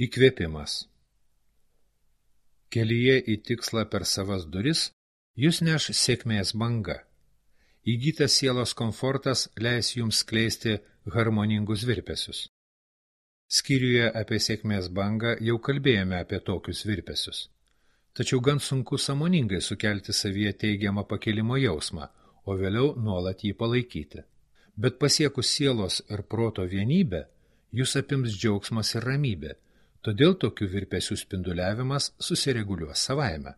Įkvėpimas. Kelyje į tikslą per savas duris jūs neš sėkmės banga. Įgytas sielos komfortas leis jums skleisti harmoningus virpesius. Skyriuje apie sėkmės bangą jau kalbėjome apie tokius virpesius. Tačiau gan sunku sąmoningai sukelti savyje teigiamą pakilimo jausmą, o vėliau nuolat jį palaikyti. Bet pasiekus sielos ir proto vienybę, jūs apims džiaugsmas ir ramybė, todėl tokių virpesių spinduliavimas susireguliuos savaime.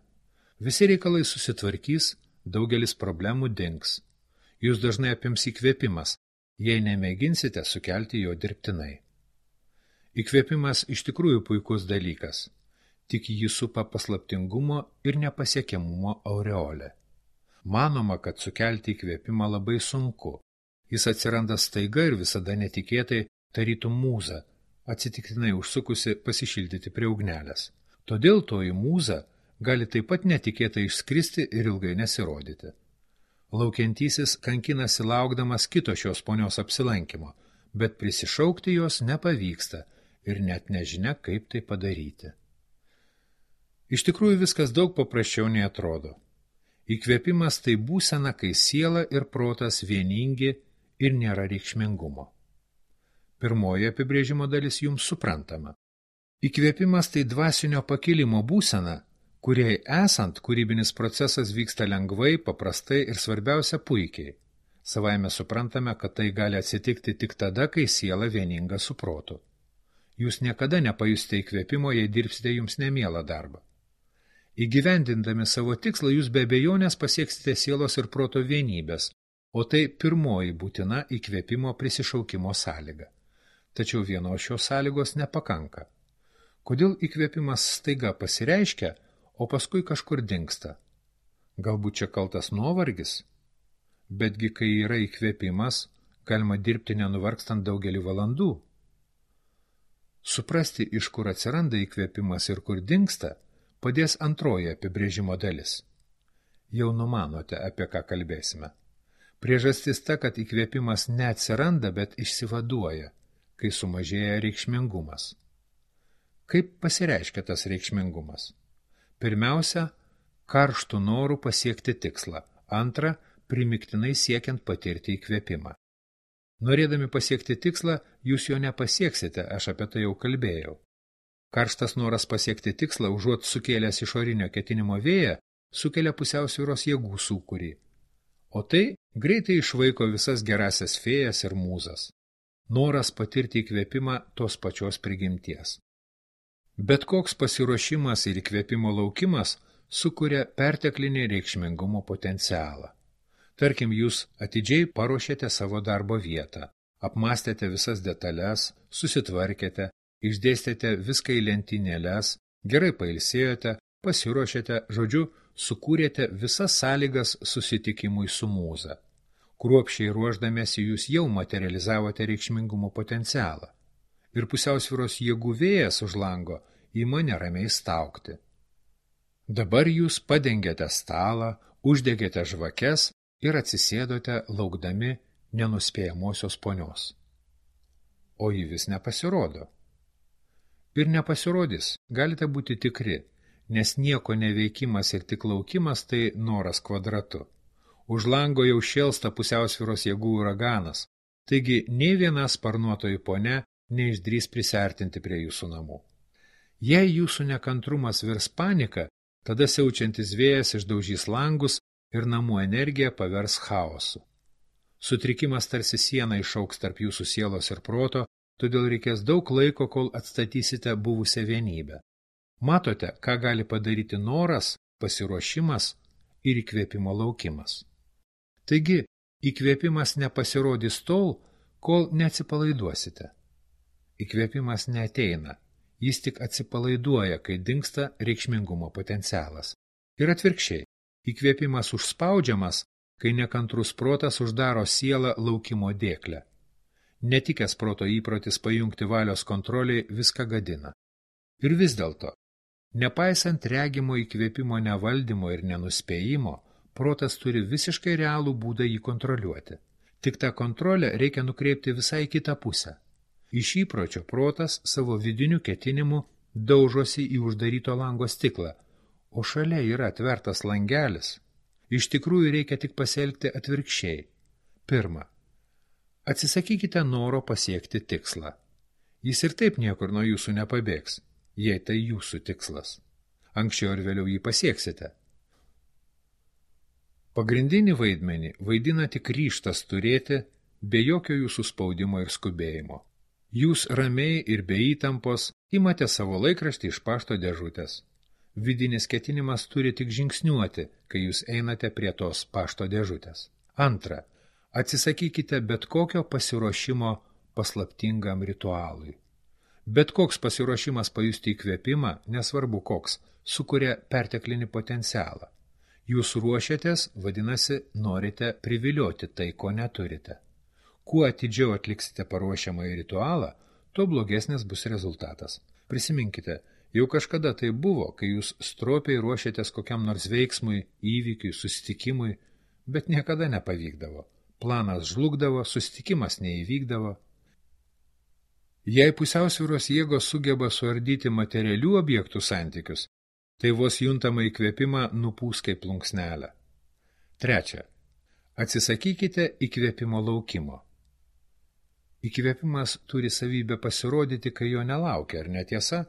Visi reikalai susitvarkys, daugelis problemų dings. Jūs dažnai apims įkvėpimas, jei nemėginsite sukelti jo dirbtinai. Įkvėpimas iš tikrųjų puikus dalykas, tik jį supa paslaptingumo ir nepasiekiamumo aureolė. Manoma, kad sukelti įkvėpimą labai sunku. Jis atsiranda staiga ir visada netikėtai, tarytum mūza, atsitiktinai užsukusi pasišildyti prie ugnelės. Todėl toji mūza gali taip pat netikėtai išskristi ir ilgai nesirodyti. Laukiantysis kankinasi laukdamas kito šios ponios apsilankimo, bet prisišaukti jos nepavyksta ir net nežinia, kaip tai padaryti. Iš tikrųjų viskas daug paprasčiau nei atrodo. Įkvėpimas tai būsena, kai siela ir protas vieningi ir nėra reikšmingumo. Pirmoji apibrėžimo dalis jums suprantama. Įkvėpimas tai dvasinio pakilimo būsena, kuriai esant kūrybinis procesas vyksta lengvai, paprastai ir svarbiausia puikiai. Savaime suprantame, kad tai gali atsitikti tik tada, kai siela vieninga su protu. Jūs niekada nepajusite įkvėpimo, jei dirbsite jums nemielą darbą. Įgyvendindami savo tikslą, jūs be abejonės pasieksite sielos ir proto vienybės, o tai pirmoji būtina įkvėpimo prisišaukimo sąlyga. Tačiau vienos šios sąlygos nepakanka. Kodėl įkvėpimas staiga pasireiškia, o paskui kažkur dingsta? Galbūt čia kaltas nuovargis? Betgi, kai yra įkvėpimas, galima dirbti nenuvargstant daugelį valandų. Suprasti, iš kur atsiranda įkvėpimas ir kur dingsta, padės antroji apibrėžimo dalis. Jau numanote, apie ką kalbėsime. Priežastis ta, kad įkvėpimas neatsiranda, bet išsivaduoja, kai sumažėja reikšmingumas. Kaip pasireiškia tas reikšmingumas? Pirmiausia, karštų norų pasiekti tikslą. Antra, primygtinai siekiant patirti įkvėpimą. Norėdami pasiekti tikslą, jūs jo nepasieksite, aš apie tai jau kalbėjau. Karštas noras pasiekti tikslą, užuot sukėlęs išorinio ketinimo vėją, sukelia pusiausvyros jėgų sūkurį. O tai greitai išvaiko visas gerasias fėjas ir mūzas. Noras patirti įkvėpimą tos pačios prigimties. Bet koks pasiruošimas ir įkvėpimo laukimas sukuria perteklinį reikšmingumo potencialą. Tarkim, jūs atidžiai paruošėte savo darbo vietą, apmastėte visas detalės, susitvarkėte, išdėstėte viską į lentynėles, gerai pailsėjote, pasiruošėte, žodžiu, sukūrėte visas sąlygas susitikimui su mūza. Kruopščiai ruošdamiesi jūs jau materializavote reikšmingumo potencialą. Ir pusiausvyros jėgų vėjas už lango ima neramiai staugti. Dabar jūs padengėte stalą, uždegėte žvakes ir atsisėdote laukdami nenuspėjamosios ponios. O ji vis nepasirodo. Ir nepasirodys, galite būti tikri, nes nieko neveikimas ir tik laukimas tai noras kvadratu. Už lango jau šėlsta pusiausvyros jėgų uraganas, taigi nei viena sparnuotoji ponia neišdrįs prisiartinti prie jūsų namų. Jei jūsų nekantrumas virs panika, tada siaučiantis vėjas išdaužys langus ir namų energija pavers chaosu. Sutrikimas tarsi siena išauks tarp jūsų sielos ir proto, todėl reikės daug laiko, kol atstatysite buvusią vienybę. Matote, ką gali padaryti noras, pasiruošimas ir įkvėpimo laukimas. Taigi, įkvėpimas nepasirodys tol, kol neatsipalaiduosite. Įkvėpimas neateina, jis tik atsipalaiduoja, kai dingsta reikšmingumo potencialas. Ir atvirkščiai, įkvėpimas užspaudžiamas, kai nekantrus protas uždaro sielą laukimo dėklę. Netikęs proto įprotis pajungti valios kontroliai viską gadina. Ir vis dėlto, nepaisant regimo įkvėpimo nevaldymo ir nenuspėjimo, protas turi visiškai realų būdą jį kontroliuoti. Tik tą kontrolę reikia nukreipti visai kitą pusę. Iš įpročio protas savo vidinių ketinimų daužosi į uždaryto lango stiklą, o šalia yra atvertas langelis, iš tikrųjų reikia tik pasielgti atvirkščiai. Pirma, atsisakykite noro pasiekti tikslą. Jis ir taip niekur nuo jūsų nepabėgs, jei tai jūsų tikslas. Anksčiau ir vėliau jį pasieksite. Pagrindinį vaidmenį vaidina tik ryžtas turėti, be jokio jūsų spaudimo ir skubėjimo. Jūs ramiai ir be įtampos imate savo laikraštį iš pašto dėžutės. Vidinis ketinimas turi tik žingsniuoti, kai jūs einate prie tos pašto dėžutės. Antra, atsisakykite bet kokio pasiruošimo paslaptingam ritualui. Bet koks pasiruošimas pajusti įkvėpimą, nesvarbu koks, sukuria perteklinį potencialą. Jūs ruošiatės, vadinasi, norite privilioti tai, ko neturite. Kuo atidžiau atliksite paruošiamąjį ritualą, tuo blogesnis bus rezultatas. Prisiminkite, jau kažkada tai buvo, kai jūs stropiai ruošiatės kokiam nors veiksmui, įvykiui, susitikimui, bet niekada nepavykdavo. Planas žlugdavo, susitikimas neįvykdavo. Jei pusiausvyros jėgos sugeba suardyti materialių objektų santykius, tai vos juntamą įkvėpimą nupūs kaip plunksnelę. Trečia. Atsisakykite įkvėpimo laukimo. Įkvėpimas turi savybę pasirodyti, kai jo nelaukia, ar netiesa?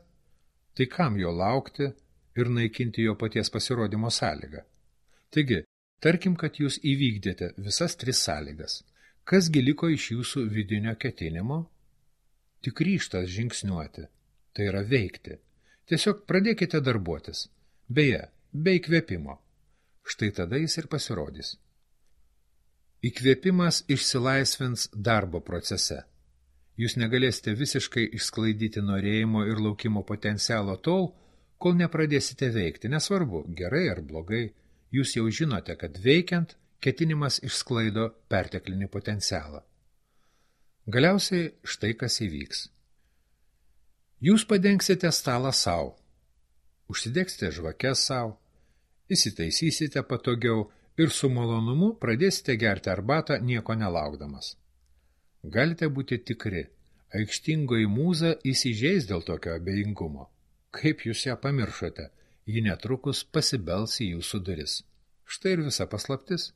Tai kam jo laukti ir naikinti jo paties pasirodymo sąlygą? Taigi, tarkim, kad jūs įvykdėte visas 3 sąlygas. Kasgi liko iš jūsų vidinio ketinimo? Tik ryžtas žingsniuoti, tai yra veikti. Tiesiog pradėkite darbuotis. Beje, be įkvėpimo. Štai tada jis ir pasirodys. Įkvėpimas išsilaisvins darbo procese. Jūs negalėsite visiškai išsklaidyti norėjimo ir laukimo potencialo tol, kol nepradėsite veikti. Nesvarbu, gerai ar blogai, jūs jau žinote, kad veikiant, ketinimas išsklaido perteklinį potencialą. Galiausiai štai kas įvyks. Jūs padengsite stalą savo, užsidegsite žvakes savo, įsitaisysite patogiau ir su malonumu pradėsite gerti arbatą nieko nelaukdamas. Galite būti tikri, aikštingoji mūza įsižeis dėl tokio abejingumo. Kaip jūs ją pamiršote, ji netrukus pasibels į jūsų duris. Štai ir visa paslaptis.